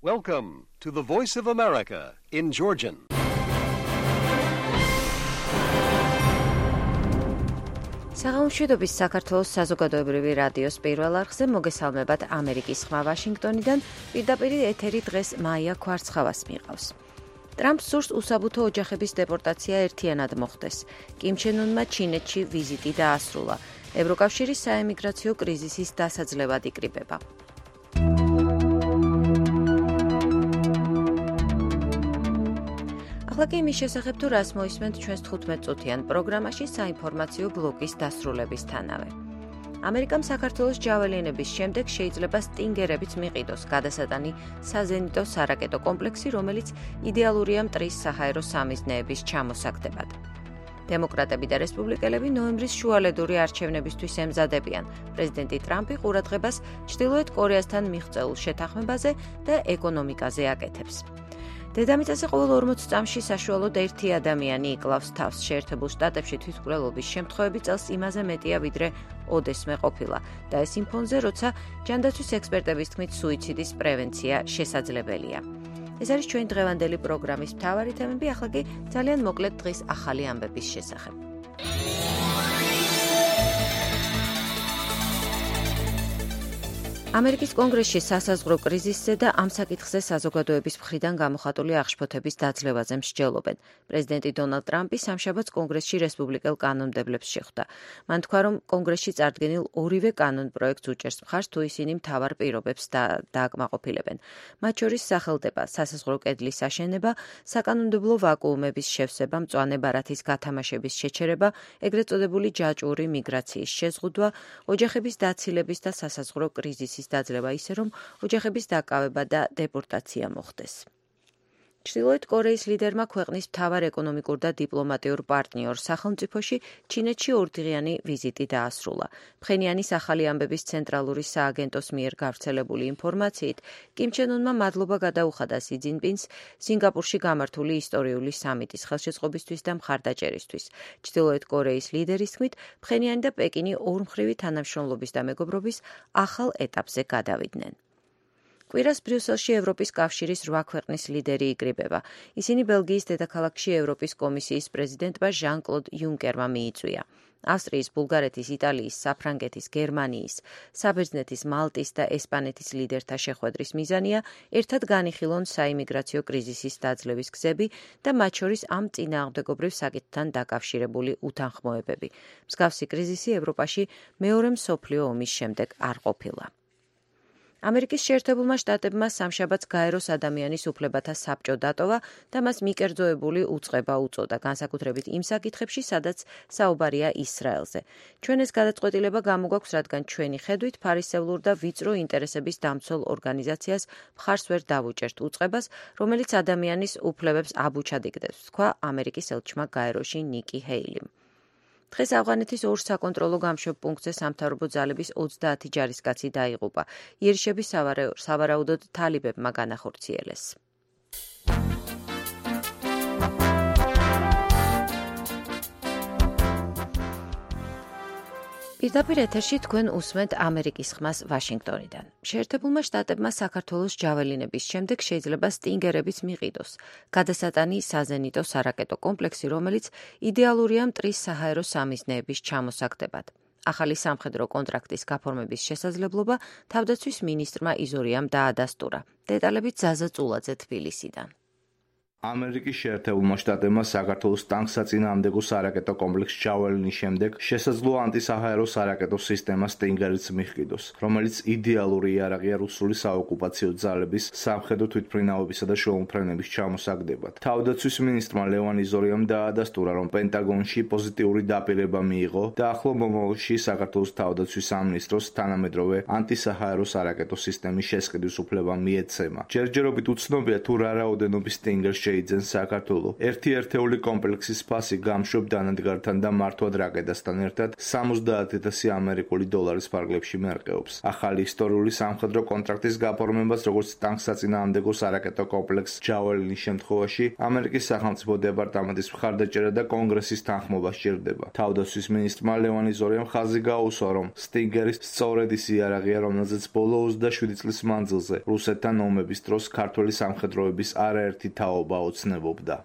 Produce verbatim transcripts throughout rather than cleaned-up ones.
Welcome to the Voice of America in Georgian. საღამოშვიდობის საქართველოს საზოგადოებრივი რადიოს პირველ არხზე მოგესალმებათ ამერიკის ხმა ვაშინგტონიდან, პირდაპირ ეთერი დღეს მაია ქვარცხავას მიყავს. ტრამპს სურს უსაბუთო ოჯახების დეპორტაცია ერთიანად მოხდეს. კიმ ჩენ უნმა ჩინეთში ვიზიტი დაასრულა. ევროკავშირის საემიგრაციო კრიზისის დასაძლევად იკრიბება. ახლა კი იმის შესახებ თუ რას მოისმენთ ჩვენს თხუთმეტ წუთიან პროგრამაში საინფორმაციო ბლოკის დასრულებისთანავე. ამერიკამ საქართველოს ჯაველინების შემდეგ შეიძლება სტინგერებიც მიყიდოს გადასატანი საზენიტო სარაკეტო კომპლექსი, რომელიც იდეალურია მტრის საჰაერო სამიზნეების ჩამოსაგდებად. დემოკრატები და რესპუბლიკელები ნოემბრის შუალედური არჩევნებისთვის ემზადებიან. პრეზიდენტი ტრამპი ყურადღებას ჩრდილოეთ კორეასთან მიღწეულ შეთანხმებაზე და ეკონომიკაზე აკეთებს. დედამიწაზე ყოველ ორმოც წამში საშუალოდ ერთი ადამიანი იკლავს თავს. შეერთებულ შტატებში თვითმკვლელობის შემთხვევები წელს იმაზე მეტია, ვიდრე ოდესმე ყოფილა და ეს იმ ფონზე, როცა ჯანდაცვის ექსპერტების თქმით სუიციდის პრევენცია შესაძლებელია. ეს არის ჩვენი დღევანდელი პროგრამის მთავარი თემები, ახლა კი ძალიან მოკლედ დღის ახალი ამბების შესახებ. ამერიკის კონგრესში სასაზღვრო კრიზისზე და ამ საკითხზე საზოგადოების მხრიდან გამოხატული აღშფოთების დაძლევაზე მსჯელობენ. პრეზიდენტი დონალდ ტრამპი სამშაბათს კონგრესში რესპუბლიკელ კანონმდებლებს შეხვდა. მან თქვა, რომ კონგრესში წარდგენილ ორივე კანონპროექტს უჭერს მხარს, თუ ისინი მთავარ პირობებს დააკმაყოფილებენ. მათ შორის სახელდება სასაზღვრო კედლის აშენება, საკანონმდებლო ვაკუუმების შევსება, მწვანე ბარათის გათამაშების შეჩერება, ეგრეთ წოდებული ჯაჭვური მიგრაციის შეზღუდვა, ოჯახების დაცილების და სასაზღვრო კრიზისის დაძლევა ისე, რომ ოჯახების დაკავება და დეპორტაცია მოხდეს. ჩრდილოეთ კორეის ლიდერმა ქვეყნის მთავარ ეკონომიკურ და დიპლომატიურ პარტნიორ სახელმწიფოში ჩინეთში ორდღიანი ვიზიტი დაასრულა. ფხენიანის ახალი ამბების ცენტრალური სააგენტოს მიერ გავრცელებული ინფორმაციით, კიმ ჩენ უნმა მადლობა გადაუხადა სი ძინპინს სინგაპურში გამართული ისტორიული სამიტის ხელშეწყობისთვის და მხარდაჭერისთვის. ჩრდილოეთ კორეის ლიდერის თქმით, ფხენიანი და პეკინი ორმხრივი თანამშრომლობის და მეგობრობის ახალ ეტაპზე გადავიდნენ. კვირას ბრიუსელში ევროპის კავშირის რვა ქვეყნის ლიდერი იკრიბება. ისინი ბელგიის დედაქალაქში ევროპის კომისიის პრეზიდენტმა ჟან-კლოდ იუნკერმა მიიწვია. ავსტრიის, ბულგარეთის, იტალიის, საფრანგეთის, გერმანიის, საბერძნეთის, მალტის და ესპანეთის ლიდერთა შეხვედრის მიზანია ერთად განიხილონ საიმიგრაციო კრიზისის დაძლევის გზები და მათ შორის ამ წინააღმდეგობრივ საკითხთან დაკავშირებული უთანხმოებები. მსგავსი კრიზისი ევროპაში მეორე მსოფლიო ომის შემდეგ არ ყოფილა. ამერიკის შეერთებულმა შტატებმა სამშაბათს გაეროს ადამიანის უფლებათა საბჭო დატოვა და მას მიკერძოებული უწყება უწოდა, განსაკუთრებით იმ საკითხებში, სადაც საუბარია ისრაელზე. ჩვენ ეს გადაწყვეტილება გამოგვაქვს, რადგან ჩვენი ხედვით ფარისევლურ და ვიწრო ინტერესების დამცველ ორგანიზაციას მხარს ვერ დავუჭერთ უწყებას, რომელიც ადამიანის უფლებებს აბუჩადიკდებს, თქვა ამერიკის ელჩმა გაეროში ნიკი ჰეილიმ. დღეს ავღანეთის ორ საკონტროლო გამშვებ პუნქტზე სამთავრობო ძალების ოცდაათი ჯარისკაცი დაიღუპა. იერიშები სავარაუდოდ თალიბებმა განახორციელეს. პირდაპირ ეთერში თქვენ უსმენთ ამერიკის ხმას ვაშინგტონიდან. შეერთებულმა შტატებმა საქართველოს ჯაველინების შემდეგ შეიძლება სტინგერებიც მიყიდოს. გადასატანი საზენიტო სარაკეტო კომპლექსი, რომელიც იდეალურია მტრის საჰაერო სამიზნეების ჩამოსაგდებად. ახალი სამხედრო კონტრაქტის გაფორმების შესაძლებლობა თავდაცვის მინისტრმა იზორიამ დაადასტურა. დეტალებით ზაზა წულაძე თბილისიდან. ამერიკის შეერთებულმა შტატებმა საქართველოს ტანკსაწინააღმდეგო სარაკეტო კომპლექს ჯაველინის შემდეგ შესაძლოა ანტისაჰაერო სარაკეტო სისტემა სტინგერიც მიჰყიდოს, რომელიც იდეალური იარაღია რუსული საოკუპაციო ძალების სამხედრო თვითმფრინავებისა და შუამფრენების ჩამოსაგდებად. თავდაცვის მინისტრმა ლევან იზორიამ დაადასტურა, რომ პენტაგონში პოზიტიური დაპირება მიიღო და ახლო მომავალში საქართველოს თავდაცვის სამინისტროს თანამედროვე ანტისაჰაერო სარაკეტო სისტემის შესყიდვის უფლება მიეცემა. ჯერჯერობით უცნობია, თუ რა რაოდენობის სტინგერს შეიძენს საქართველო. ერთი ერთეული კომპლექსის ფასი გამშვებ დანადგართან და მართვად რაკეტასთან ერთად სამოცდაათ ათასი ამერიკული დოლარის ფარგლებში მერყეობს. ახალი ისტორიული სამხედრო კონტრაქტის გაფორმებას, როგორც ტანკსაწინააღმდეგო სარაკეტო კომპლექს ჯაველინის შემთხვევაში, ამერიკის სახელმწიფო დეპარტამენტის მხარდაჭერა და კონგრესის თანხმობა სჭირდება. თავდაცვის მინისტრმა ლევან იზორიამ ხაზი გაუსვა, რომ სტინგერის სწორედ ის იარაღია, რომელზეც ბოლო ოცდაშვიდი წლის მანძილზე რუსეთთან ომების დროს ქართველი სამხედროების არაერთი თაობა ოცნებობდა.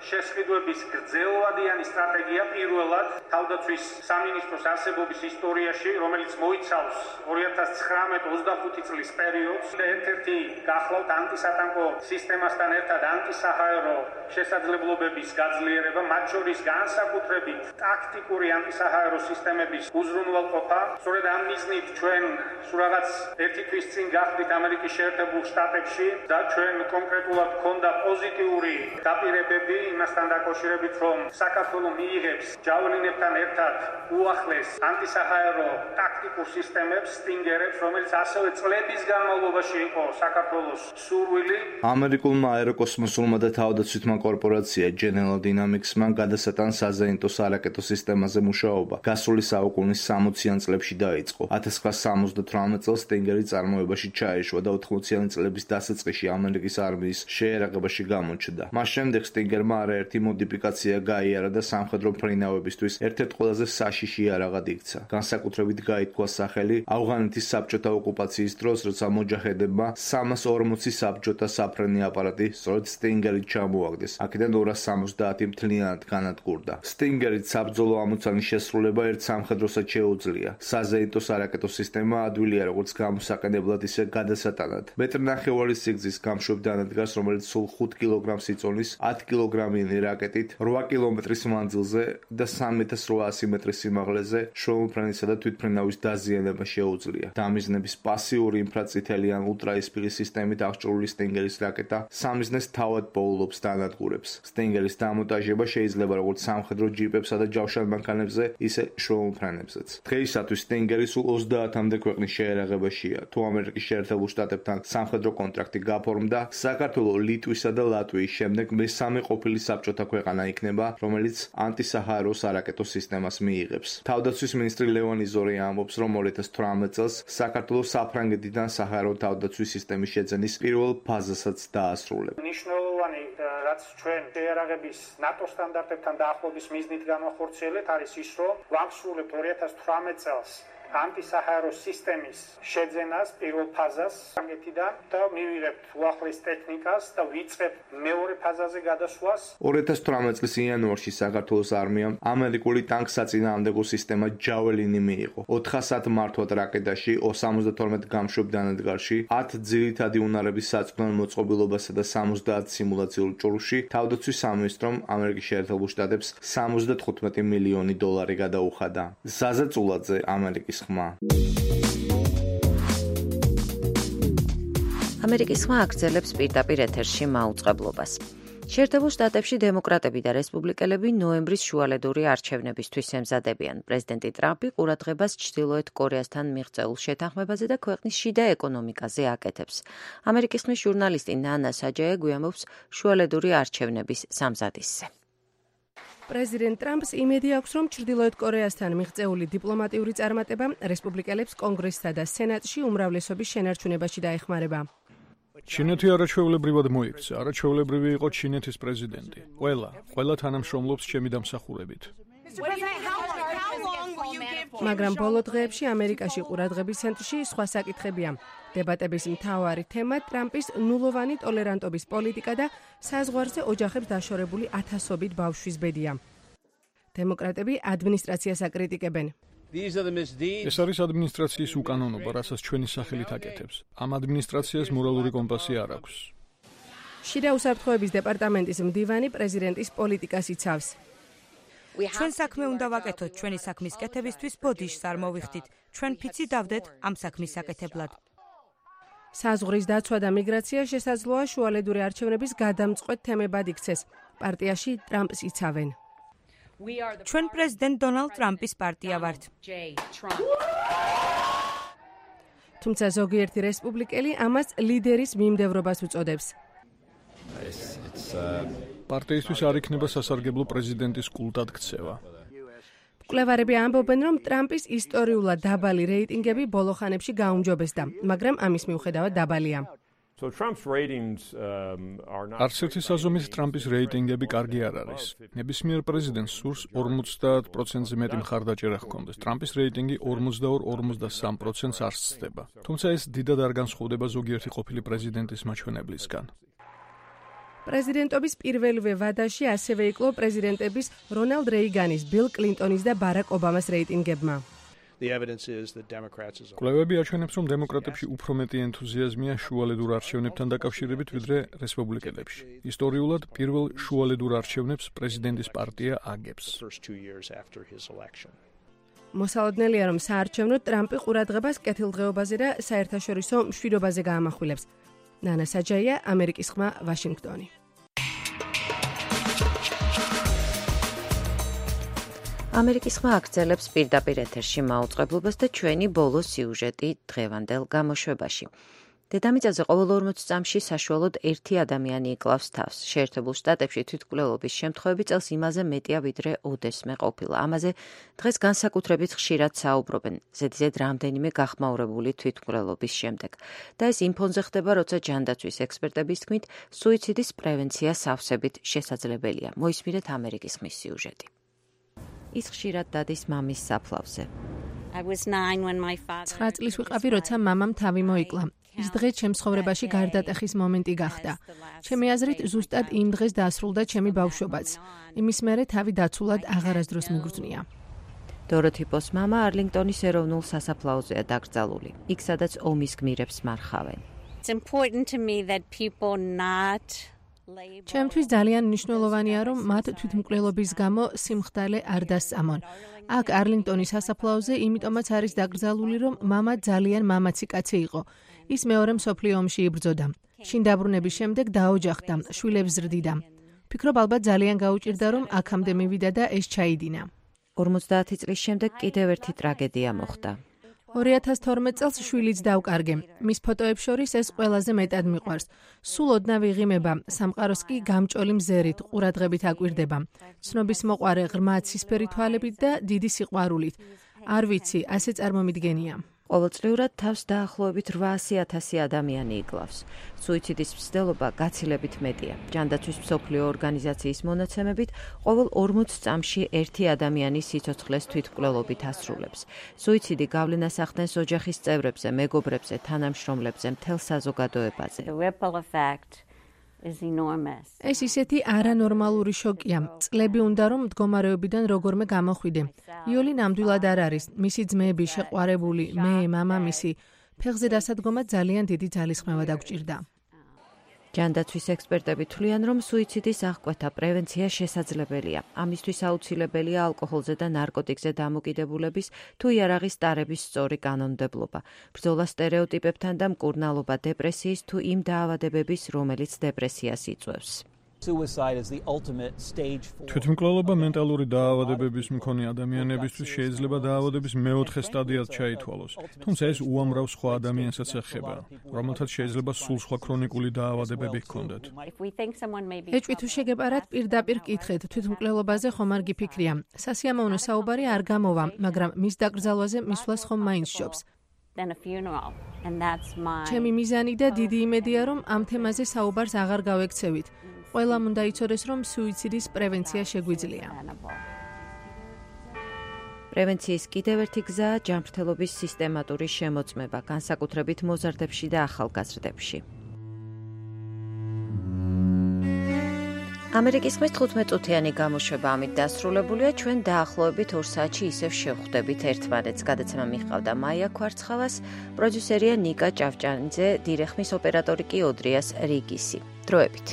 შესყიდვების გრძელვადიანი სტრატეგია პირველად თავდაცვის სამინისტროს არსებობის ისტორიაში, რომელიც მოიცავს ორი ათას ცხრამეტ ოცდახუთი წლის პერიოდს და ერთ-ერთი გახლავთ ანტისატანკო სისტემასთან ერთად ანტისაჰაერო შესაძლებლობების გაძლიერება, მათ შორის განსაკუთრებით ტაქტიკური ანტისაჰაერო სისტემების უზრუნველყოფა. სწორედ ამ მიზნით ჩვენ სულ რაღაც ერთი თვის წინ გახდით ამერიკის შეერთებულ შტატებში და ჩვენ კონკრეტულად ჰქონდა პოზიტიური დაპირებები იმასთან დაკავშირებით, რომ საქართველო მიიღებს ჯაველინებთან ერთად უახლეს ანტისაჰაერო ტაქტიკურ სისტემებს, სტინგერებს, რომელიც ასევე წლების განმავლობაში იყო საქართველოს სურვილი. ამერიკულმა აეროკოსმოსურმა და თავდაცვითმა კორპორაცია General Dynamics-მა გადასატან საზეიმტო სარაკეტო სისტემაზე მუშაობა გასული საუკუნის სამოციან წლებში დაიწყო. ათას ცხრაასა სამოცდათვრამეტ წელს სტინგერი წარმოებაში ჩაეშვა და ოთხმოციანი წლების დასაწყისში ამერიკის არმიის შეერაღებაში გამოჩნდა. მას შემდეგ სტინგერმა არაერთი მოდიფიკაცია გაიარა და სამხედრო მფრინავებისთვის ერთ-ერთ ყველაზე საშიში იარაღად იქცა. განსაკუთრებით გაითქვა სახელი ავღანეთის საბჭოთა ოკუპაციის დროს, როცა მოჯაჰედებმა სამას ორმოცი საბჭოთა საფრენი აპარატი სწორედ სტინგერით ჩამოაგდეს. აქედან ორას სამოცდაათი მთლიანად განადგურდა. სტინგერით საბრძოლო ამოცანის შესრულება ერთ სამხედროსაც შეუძლია. საზეიმტო სარაკეტო სისტემა ადვილია როგორც გამოსაყენებლად, ისე გადასატანად. მეტრნახევარის სიგრძის გამშვებ დანადგარს, რომელიც სულ ხუთ კილოგრამს იწონის, ათი კილოგრამიანი რაკეტით რვა კილომეტრის მანძილზე და სამი ათას რვაასი მეტრის სიმაღლეზე შვეულმფრენისა და თვითმფრინავის დაზიანება შეუძლია. დამიზნების პასიური ინფრაწითელი ან ულტრაისფერი სისტემით აღჭურვილი სტინგერის რაკეტა სამიზნეს თავად პოულობს და ანადგურებს. სტინგერის დამონტაჟება შეიძლება როგორც სამხედრო ჯიპებსა და ჯავშან მანქანებზე, ისე შვეულმფრენებზეც. დღეისათვის სტინგერი სულ ოცდაათამდე ქვეყნის შეერაღებაშია. თუ ამერიკის შეერთებულ შტატებთან სამხედრო კონტრაქტი გაფორმდა, საქართველო ლიტვისა და ლატვიის შემდეგ მესამე ყოფილი საბჭოთა ქვეყანა იქნება, რომელიც ანტისაჰაერო სარაკეტო სისტემას მიიღებს. თავდაცვის მინისტრი ლევან იზორია ამბობს, რომ ორი ათას თვრამეტ წელს საქართველო საფრანგეთიდან საჰაერო თავდაცვის სისტემის შეძენის პირველ ფაზასაც დაასრულებს. ნიშნულოვანი, რაც ჩვენ შეერაღების ნატო სტანდარტებთან დაახლოების მიზნით განვახორციელებთ, არის ის, რომ ვახსოვებთ ორი ათას თვრამეტ წელს ანტისაჰაერო სისტემის შეძენას პირველ ფაზას ფრანგეთიდან და მივიღებთ უახლეს ტექნიკას და ვიწყებთ მეორე ფაზაზე გადასვლას. ორი ათას თვრამეტ წლის იანვარში საქართველოს არმიამ ამერიკული ტანკსაწინააღმდეგო სისტემა ჯაველინი მიიღო. ოთხასად მართვად რაკეტაში, სამოცდათორმეტ გამშვებ დანადგარში, ათ ძირითადი უნარების საწვრთნელ მოწყობილობასა და სამოცდაათ სიმულაციურ ჭურვში თავდაცვის სამინისტრომ ამერიკის შეერთებულ შტატებს სამოცდათხუთმეტი მილიონი დოლარი გადაუხადა. ზაზა წულაძე, ამერიკის ხმა. ამერიკის ხმა აგრძელებს პირდაპირ ეთერში მაუწყებლობას. შეერთებულ შტატებში დემოკრატები და რესპუბლიკელები ნოემბრის შუალედური არჩევნებისთვის ემზადებიან. პრეზიდენტი ტრამპი ყურადღებას ჩრდილოეთ კორეასთან მიღწეულ შეთანხმებაზე და ქვეყნის შიდა ეკონომიკაზე აკეთებს. ამერიკის ხმის ჟურნალისტი ნანა საჯაია გვიამბობს შუალედური არჩევნების სამზადისზე. პრეზიდენტ ტრამპს იმედი აქვს, რომ ჩრდილოეთ კორეასთან მიღწეული დიპლომატიური წარმატება რესპუბლიკელებს კონგრესსა და სენატში უმრავლესობის შენარჩუნებაში დაეხმარება. ჩინეთი არაჩვეულებრივად მოიქცა, არაჩვეულებრივი იყო ჩინეთის პრეზიდენტი. ყველა, ყველა თანამშრომლობს ჩემი დამსახურებით. მაგრამ ბოლო დღეებში ამერიკაში ყურადღების ცენტრში სხვა საკითხებია. დებატების მთავარი თემა ტრამპის ნულოვანი ტოლერანტობის პოლიტიკა და საზღვარზე ოჯახებს დაშორებული ათასობით ბავშვის ბედია. დემოკრატები ადმინისტრაციას აკრიტიკებენ. ეს არის ადმინისტრაციის უკანონობა, რასაც ჩვენი სახელით აკეთებს. ამ ადმინისტრაციას მორალური კომპასი არ აქვს. შიდა უსაფრთხოების დეპარტამენტის მდივანი პრეზიდენტის პოლიტიკას იცავს. ჩვენ საქმე უნდა ვაკეთოთ, ჩვენი საქმის კეთებისთვის ბოდიშს არ მოვიხდით. ჩვენ ფიცი დავდეთ ამ საქმის საკეთებლად. საზღვრის დაცვა და მიგრაცია შესაძლოა შუალედური არჩევნების გადამწყვეტ თემებად იქცეს. პარტიაში ტრამპს იცავენ. ჩვენ პრეზიდენტ დონალდ ტრამპის პარტია ვართ. თუმცა ზოგიერთი რესპუბლიკელი ამას ლიდერის მიმდევრობას უწოდებს. პარტიისთვის არ იქნება სასარგებლო პრეზიდენტის კულტად ქცევა. მკვლევარები ამბობენ, რომ ტრამპის ისტორიულად დაბალი რეიტინგები ბოლო ხანებში გაუმჯობესდა, მაგრამ ამის მიუხედავად დაბალია. არც ერთი საზომით ტრამპის რეიტინგები კარგი არ არის. ნებისმიერ პრეზიდენტს სურს ორმოცდაათ პროცენტზე მეტი მხარდაჭერა ჰქონდეს. ტრამპის რეიტინგი ორმოცდაორ ორმოცდასამ პროცენტს არ სცდება. თუმცა ეს დიდად არ განსხვავდება ზოგიერთი ყოფილი პრეზიდენტის მაჩვენებლისგან. პრეზიდენტობის პირველივე ვადაში ასევე იკლო პრეზიდენტების რონალდ რეიგანის, ბილ კლინტონის და ბარაკ ობამას რეიტინგებმა. კვლევები აჩვენებს, რომ დემოკრატებში უფრო მეტი ენთუზიაზმია შუალედურ არჩევნებთან დაკავშირებით, ვიდრე რესპუბლიკელებში. ისტორიულად პირველ შუალედურ არჩევნებს პრეზიდენტის პარტია აგებს. მოსალოდნელია, რომ საარჩევნოდ ტრამპი ყურადღებას კეთილდღეობაზე და საერთაშორისო მშვიდობაზე გაამახვილებს. ნანა საჯაია, ამერიკის ხმა, ვაშინგტონი. ამერიკის ხმა აგრძელებს პირდაპირ ეთერში მაუწყებლობას და ჩვენი ბოლო სიუჟეტი დღევანდელ გამოშვებაში. დედამიწაზე ყოველ ორმოც წამში საშუალოდ ერთი ადამიანი იკლავს თავს. შეერთებულ შტატებში თვითმკვლელობის შემთხვევები წელს იმაზე მეტია, ვიდრე ოდესმე ყოფილა. ამაზე დღეს განსაკუთრებით ხშირად საუბრობენ, ზედიზედ რამდენიმე გახმაურებული თვითმკვლელობის შემდეგ. და ეს იმ ფონზე ხდება, როცა ჯანდაცვის ექსპერტების თქმით, სუიციდის პრევენცია სავსებით შესაძლებელია. მოისმინეთ ამერიკის ხმის სიუჟეტი. ის ხშირად დადის მამის საფლავზე. ცხრა წლის ვიყავი, როცა მამამ თავი მოიკლა. ის დღე ჩემს ცხოვრებაში გარდატეხის მომენტი გახდა. ჩემი აზრით, ზუსტად იმ დღეს დაასრულდა ჩემი ბავშვობაც. იმის მერე თავი დაცულად აღარასდროს მიგრძნია. დოროთი პოს მამა არლინგტონის ეროვნულ სასაფლაოზეა დაკრძალული. იქ, სადაც ომის გმირებს მარხავენ. ჩემთვის ძალიან მნიშვნელოვანია, რომ მათ თვითმკვლელობის გამო სიმხდალე არ დასწამონ. აქ არლინგტონის სასაფლაოზე იმიტომაც არის დაკრძალული, რომ მამა ძალიან მამაცი კაცი იყო. ის მეორე მსოფლიო ომში იბრძოდა. შინ დაბრუნების შემდეგ დაოჯახდა, შვილებს ზრდიდა. ვფიქრობ, ალბათ ძალიან გაუჭირდა, რომ აქამდე მივიდა და ეს ჩაიდინა. ორმოცდაათი წლის შემდეგ კიდევ ერთი ტრაგედია მოხდა. ორი ათას თორმეტ წელს შვილიც დავკარგე. მის ფოტოებს შორის ეს ყველაზე მეტად მიყვარს. სულ ოდნავ იღიმება, სამყაროს კი გამჭოლი მზერით, ყურადღებით აკვირდება. ცნობის მოყვარე ღრმა ცისფერი თვალებით და დიდი სიყვარულით. არ ვიცი, ასე წარმომიდგენია. ყოველწლიურად თავს დაახლოებით რვაასი ათასი ადამიანი იკლავს. სუიციდის მცდელობა გაცილებით მეტია. ჯანდაცვის მსოფლიო ორგანიზაციის მონაცემებით, ყოველ ორმოც წამში ერთი ადამიანი სიცოცხლეს თვითმკვლელობით ასრულებს. სუიციდი გავლენას ახდენს ოჯახის წევრებზე, მეგობრებზე, თანამშრომლებზე, მთელ საზოგადოებაზე. ეს ისეთი არანორმალური შოკია. წლები უნდა, რომ მდგომარეობიდან როგორმე გამოხვიდე. იოლი ნამდვილად არ არის. მისი ძმები, შეყვარებული, მე, მამამისი. ფეხზე დასადგომა ძალიან დიდი ძალისხმევა დაგჭირდა. ჯანდაცვის ექსპერტები თვლიან, რომ სუიციდის აღკვეთა პრევენცია შესაძლებელია. ამისთვის აუცილებელია ალკოჰოლზე და ნარკოტიკზე დამოკიდებულების თუ იარაღის ტარების სწორი კანონმდებლობა, ბრძოლა სტერეოტიპებთან და მკურნალობა დეპრესიის თუ იმ დაავადებების, რომელიც დეპრესიას იწვევს. თვითმკვლელობა მენტალური დაავადებების მქონე ადამიანებისთვის შეიძლება დაავადების მეოთხე სტადიად ჩაითვალოს, თუმცა ეს უამრავ სხვა ადამიანსაც ეხება, რომელთაც შეიძლება სულ სხვა ქრონიკული დაავადებები ჰქონდეთ. ეჭვი თუ შეგეპარათ, პირდაპირ კითხეთ, თვითმკვლელობაზე ხომ არ გიფიქრია. სასიამოვნო საუბარი არ გამოვა, მაგრამ მის დაკრძალვაზე მისვლას ხომ მაინც სჯობს. ჩემი მიზანი და დიდი იმედია, რომ ამ თემაზე საუბარს აღარ გავექცევით. ყველამ უნდა იცოდეს, რომ სუიციდის პრევენცია შეგვიძლია. პრევენციის კიდევ ერთი გზაა ჯანმრთელობის სისტემატური შემოწმება, განსაკუთრებით მოზარდებში და ახალგაზრდებში. ამერიკის ხმის თხუთმეტ-წუთიანი გამოშვება ამით დასრულებულია. ჩვენ დაახლოებით ორ საათში ისევ შევხვდებით ერთმანეთს. გადაცემა მიჰყავდა მაია ქვარცხავას, პროდიუსერია ნიკა ჭავჭანიძე, დირეხმის ოპერატორი კი ოდრიას რიგისი. დროებით.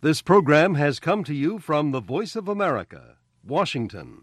This program has come to you from the Voice of America, Washington.